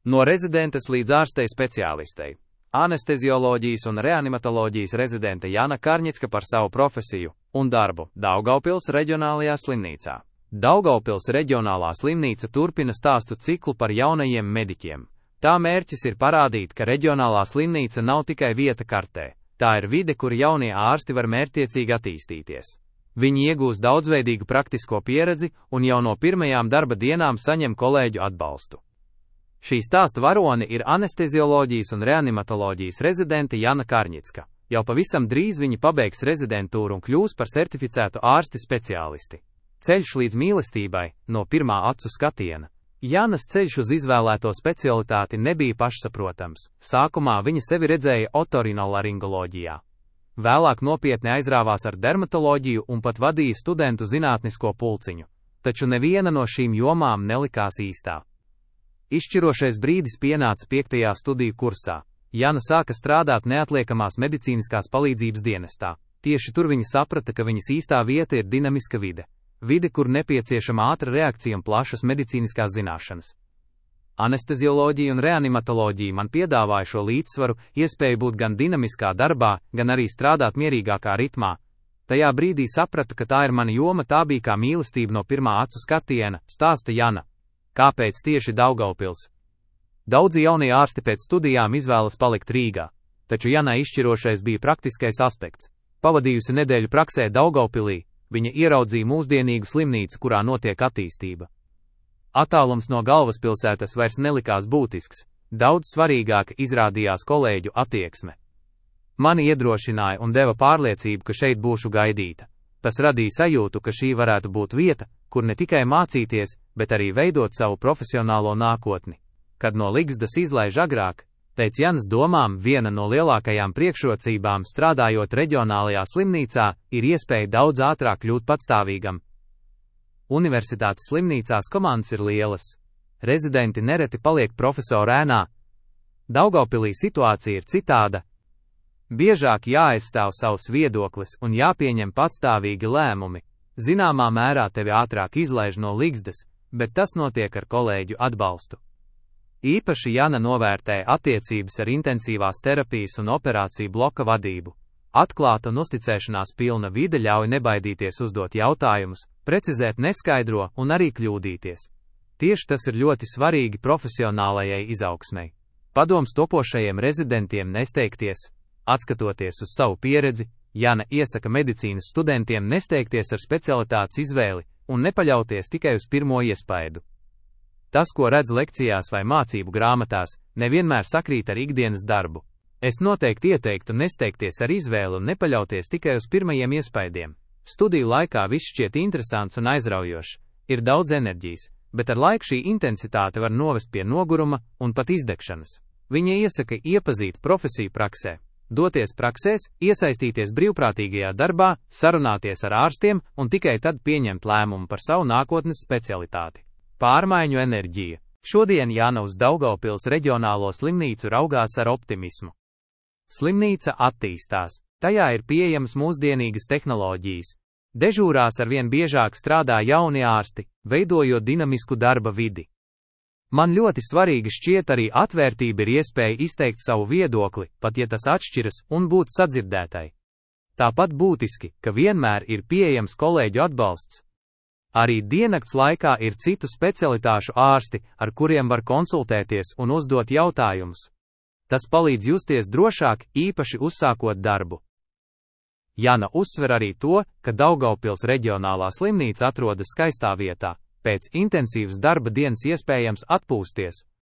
No rezidentes līdz ārstei speciālistei. Anestezioloģijas un reanimatoloģijas rezidente Jana Karņicka par savu profesiju un darbu Daugavpils reģionālajā slimnīcā. Daugavpils reģionālā slimnīca turpina stāstu ciklu par jaunajiem mediķiem. Tā mērķis ir parādīt, ka reģionālā slimnīca nav tikai vieta kartē, tā ir vide, kur jaunie ārsti var mērķtiecīgi attīstīties. Viņi iegūs daudzveidīgu praktisko pieredzi un jau no pirmajām darba dienām saņem kolēģu atbalstu. Šī stāsta varone ir anestezioloģijas un reanimatoloģijas rezidente Jana Karņicka. Jau pavisam drīz viņa pabeigs rezidentūru un kļūs par certificētu ārsti speciālisti. Ceļš līdz mīlestībai no pirmā acu skatiena. Janas ceļš uz izvēlēto specialitāti nebija pašsaprotams. Sākumā viņa sevi redzēja otorinolaringoloģijā. Vēlāk nopietni aizrāvās ar dermatoloģiju un pat vadīja studentu zinātnisko pulciņu. Taču neviena no šīm jomām nelikās īstā. Izšķirošais brīdis pienāca 5. studiju kursā. Jana sāka strādāt neatliekamās medicīniskās palīdzības dienestā. Tieši tur viņa saprata, ka viņas īstā vieta ir dinamiska vide. Vide, kur nepieciešama ātra reakcija un plašas medicīniskās zināšanas. Anestezioloģija un reanimatoloģija man piedāvāja šo līdzsvaru, iespēju būt gan dinamiskā darbā, gan arī strādāt mierīgākā ritmā. Tajā brīdī sapratu, ka tā ir mana joma, tā bija kā mīlestība no pirmā acu skatiena, stāsta Jana. Kāpēc tieši Daugavpils? Daudzi jaunie ārsti pēc studijām izvēlas palikt Rīgā, taču Janai izšķirošais bija praktiskais aspekts. Pavadījusi nedēļu praksē Daugavpilī, viņa ieraudzīja mūsdienīgu slimnīcu, kurā notiek attīstība. Attālums no galvaspilsētas vairs nelikās būtisks, daudz svarīgāk izrādījās kolēģu attieksme. Mani iedrošināja un deva pārliecību, ka šeit būšu gaidīta. Tas radīja sajūtu, ka šī varētu būt vieta, kur ne tikai mācīties, bet arī veidot savu profesionālo nākotni. Kad no ligzdas izlaiž agrāk, pēc Janas domām viena no lielākajām priekšrocībām strādājot reģionālajā slimnīcā ir iespēja daudz ātrāk kļūt patstāvīgam. Universitātes slimnīcās komandas ir lielas. Rezidenti nereti paliek profesoru ēnā. Daugavpilī situācija ir citāda. Biežāk jāaizstāv savs viedoklis un jāpieņem patstāvīgi lēmumi. Zināmā mērā tevi ātrāk izlaiž no ligzdas, bet tas notiek ar kolēģu atbalstu. Īpaši Jana novērtēja attiecības ar intensīvās terapijas un operāciju bloka vadību. Atklāta un uzticēšanās pilna vide ļauj nebaidīties uzdot jautājumus, precizēt neskaidro un arī kļūdīties. Tieši tas ir ļoti svarīgi profesionālajai izaugsmei. Padoms topošajiem rezidentiem nesteigties. Atskatoties uz savu pieredzi, Jana iesaka medicīnas studentiem nesteigties ar specialitātes izvēli un nepaļauties tikai uz pirmo iespaidu. Tas, ko redz lekcijās vai mācību grāmatās, nevienmēr sakrīt ar ikdienas darbu. Es noteikti ieteiktu nesteigties ar izvēli un nepaļauties tikai uz pirmajiem iespaidiem. Studiju laikā viss šķiet interesants un aizraujošs, ir daudz enerģijas, bet ar laiku šī intensitāte var novest pie noguruma un pat izdegšanas. Viņa iesaka iepazīt profesiju praksē. Doties praksēs, iesaistīties brīvprātīgajā darbā, sarunāties ar ārstiem un tikai tad pieņemt lēmumu par savu nākotnes specialitāti. Pārmaiņu enerģija. Šodien Jana uz Daugavpils reģionālo slimnīcu raugās ar optimismu. Slimnīca attīstās, tajā ir pieejamas mūsdienīgas tehnoloģijas. Dežūrās arvien biežāk strādā jauni ārsti, veidojot dinamisku darba vidi. Man ļoti svarīgi šķiet arī atvērtība ir iespēja izteikt savu viedokli, pat ja tas atšķiras, un būt sadzirdētai. Tāpat būtiski, ka vienmēr ir pieejams kolēģu atbalsts. Arī diennakts laikā ir citu specialitāšu ārsti, ar kuriem var konsultēties un uzdot jautājumus. Tas palīdz justies drošāk, īpaši uzsākot darbu. Jana uzsver arī to, ka Daugavpils reģionālā slimnīca atrodas skaistā vietā. Pēc intensīvas darba dienas iespējams atpūsties,